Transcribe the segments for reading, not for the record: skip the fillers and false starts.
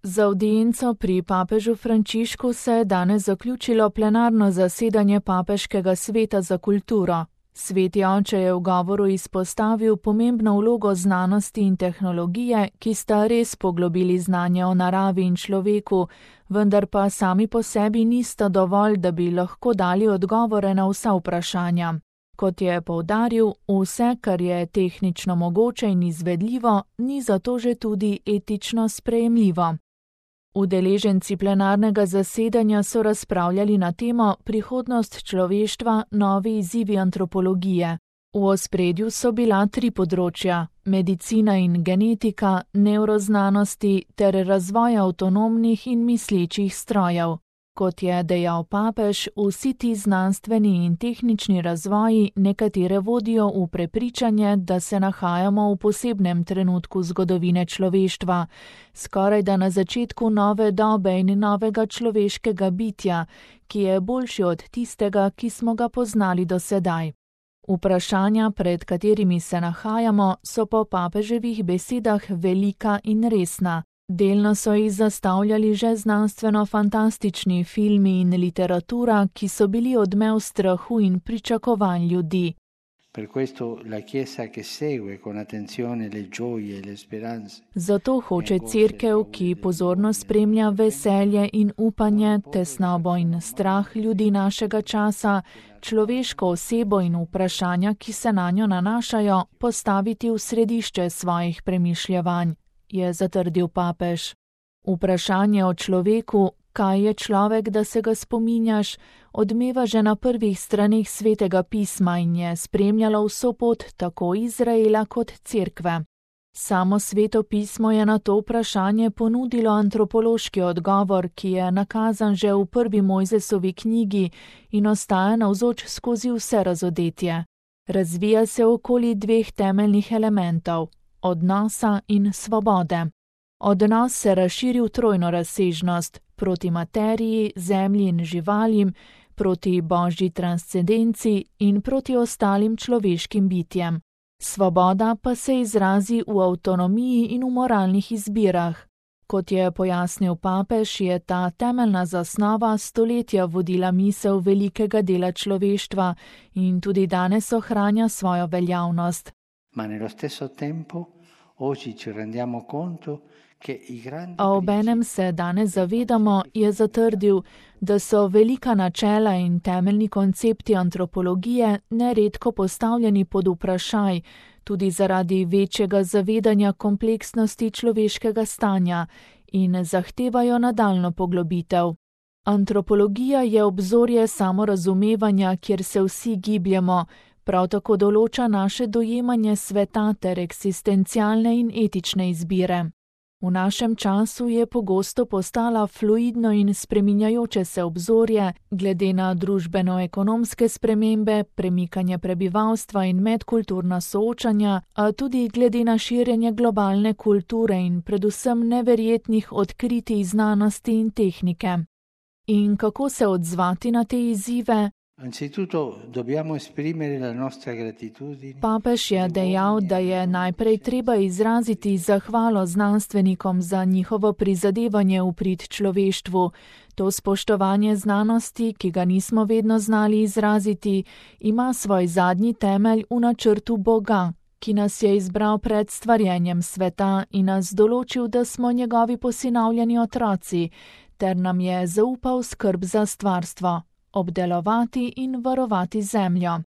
Za avdienco pri papežu Frančišku se je danes zaključilo plenarno zasedanje Papeškega sveta za kulturo. Sveti oče je v govoru izpostavil pomembno vlogo znanosti in tehnologije, ki sta res poglobili znanje o naravi in človeku, vendar pa sami po sebi nista dovolj, da bi lahko dali odgovore na vsa vprašanja. Kot je poudaril, vse, kar je tehnično mogoče in izvedljivo, ni zato že tudi etično sprejemljivo. Udeleženci plenarnega zasedanja so razpravljali na temo Prihodnost človeštva, novi izzivi antropologije. V ospredju so bila 3 področja: medicina in genetika, nevroznanosti ter razvoj avtonomnih in mislečih strojev. Kot je dejal papež, vsi ti znanstveni in tehnični razvoji nekatere vodijo v prepričanje, da se nahajamo v posebnem trenutku zgodovine človeštva, skorajda na začetku nove dobe in novega človeškega bitja, ki je boljši od tistega, ki smo ga poznali do sedaj. Vprašanja, pred katerimi se nahajamo, so po papeževih besedah velika in resna. Delno so jih zastavljali že znanstveno-fantastični filmi in literatura, ki so bili odmev strahu in pričakovanj ljudi. Zato hoče Cerkev, ki pozorno spremlja veselje in upanje, tesnobo in strah ljudi našega časa, človeško osebo in vprašanja, ki se nanjo nanašajo, postaviti v središče svojih premišljevanj, je zatrdil papež. Vprašanje o človeku, kaj je človek, da se ga spominjaš, odmeva že na prvih straneh Svetega pisma in je spremljalo vso pot tako Izraela kot Cerkve. Samo Sveto pismo je na to vprašanje ponudilo antropološki odgovor, ki je nakazan že v prvi Mojzesovi knjigi in ostaja navzoč skozi vse razodetje. Razvija se okoli 2 temeljnih elementov: odnosa in svobode. Odnos se razširi v trojno razsežnost, proti materiji, zemlji in živalim, proti božji transcendenci in proti ostalim človeškim bitjem. Svoboda pa se izrazi v avtonomiji in v moralnih izbirah. Kot je pojasnil papež, je ta temeljna zasnova stoletja vodila misel velikega dela človeštva in tudi danes ohranja svojo veljavnost. A obenem se danes zavedamo, je zatrdil, da so velika načela in temeljni koncepti antropologije neredko postavljeni pod vprašaj, tudi zaradi večjega zavedanja kompleksnosti človeškega stanja in zahtevajo nadaljnjo poglobitev. Antropologija je obzorje samorazumevanja, kjer se vsi gibljemo, prav tako določa naše dojemanje sveta ter eksistencialne in etične izbire. V našem času je pogosto postala fluidno in spreminjajoče se obzorje, glede na družbeno-ekonomske spremembe, premikanje prebivalstva in medkulturna soočanja, a tudi glede na širjenje globalne kulture in predvsem neverjetnih odkritij znanosti in tehnike. In kako se odzvati na te izzive? Papež je dejal, da je najprej treba izraziti zahvalo znanstvenikom za njihovo prizadevanje v prid človeštvu. To spoštovanje znanosti, ki ga nismo vedno znali izraziti, ima svoj zadnji temelj v načrtu Boga, ki nas je izbral pred stvarjenjem sveta in nas določil, da smo njegovi posinovljeni otroci, ter nam je zaupal skrb za stvarstvo, obdelovati in varovati zemljo.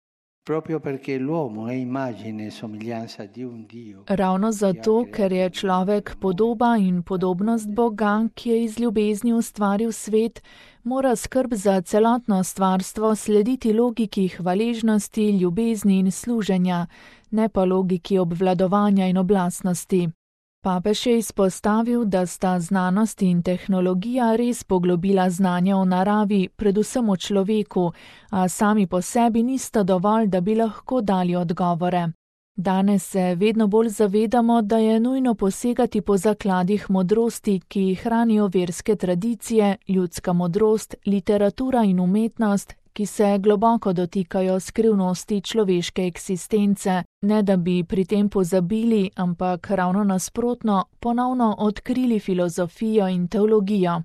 Ravno zato, ker je človek podoba in podobnost Boga, ki je iz ljubezni ustvaril svet, mora skrb za celotno stvarstvo slediti logiki hvaležnosti, ljubezni in služenja, ne pa logiki obvladovanja in oblastnosti. Papež je izpostavil, da sta znanost in tehnologija res poglobila znanje o naravi, predvsem o človeku, a sami po sebi nista dovolj, da bi lahko dali odgovore. Danes se vedno bolj zavedamo, da je nujno posegati po zakladih modrosti, ki hranijo verske tradicije, ljudska modrost, literatura in umetnost, ki se globoko dotikajo skrivnosti človeške eksistence, ne da bi pri tem pozabili, ampak ravno nasprotno, ponovno odkrili filozofijo in teologijo.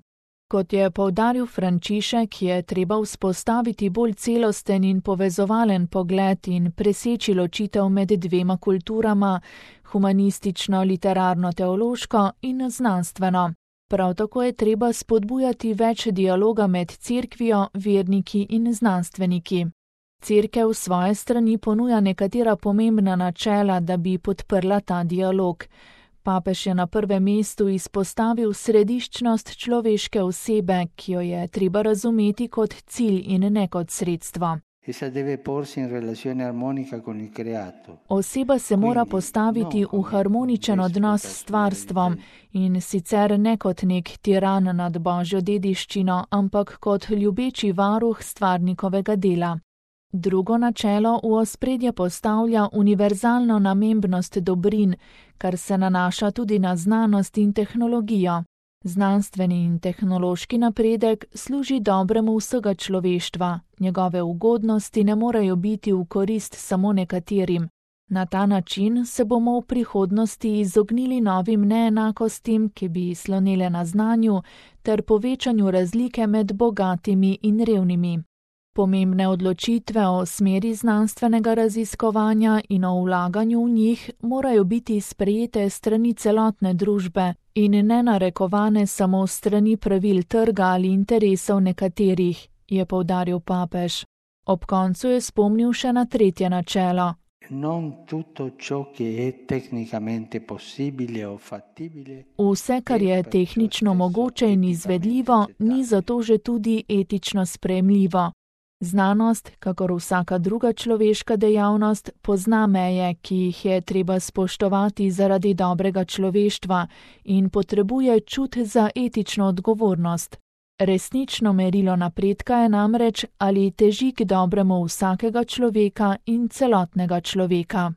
Kot je poudaril Frančišek, je treba vzpostaviti bolj celosten in povezovalen pogled in preseči ločitev med dvema kulturama, humanistično, literarno-teološko in znanstveno. Prav tako je treba spodbujati več dialoga med cerkvijo, verniki in znanstveniki. Cerkev s svoje strani ponuja nekatera pomembna načela, da bi podprla ta dialog. Papež je na prvem mestu izpostavil središčnost človeške osebe, ki jo je treba razumeti kot cilj in ne kot sredstvo. Oseba se mora postaviti v harmoničen odnos s stvarstvom in sicer ne kot nek tiran nad božjo dediščino, ampak kot ljubeči varuh stvarnikovega dela. Drugo načelo v ospredje postavlja univerzalno namembnost dobrin, kar se nanaša tudi na znanost in tehnologijo. Znanstveni in tehnološki napredek služi dobremu vsega človeštva, njegove ugodnosti ne morejo biti v korist samo nekaterim. Na ta način se bomo v prihodnosti izognili novim neenakostim, ki bi slonele na znanju, ter povečanju razlike med bogatimi in revnimi. Pomembne odločitve o smeri znanstvenega raziskovanja in o vlaganju v njih morajo biti sprejete strani celotne družbe in ne narekovane samo strani pravil trga ali interesov nekaterih, je poudaril papež. Ob koncu je spomnil še na tretje načelo. Vse, kar je tehnično mogoče in izvedljivo, ni zato že tudi etično sprejemljivo. Znanost, kakor vsaka druga človeška dejavnost, pozna meje, ki jih je treba spoštovati zaradi dobrega človeštva in potrebuje čut za etično odgovornost. Resnično merilo napredka je namreč, ali teži k dobremu vsakega človeka in celotnega človeka.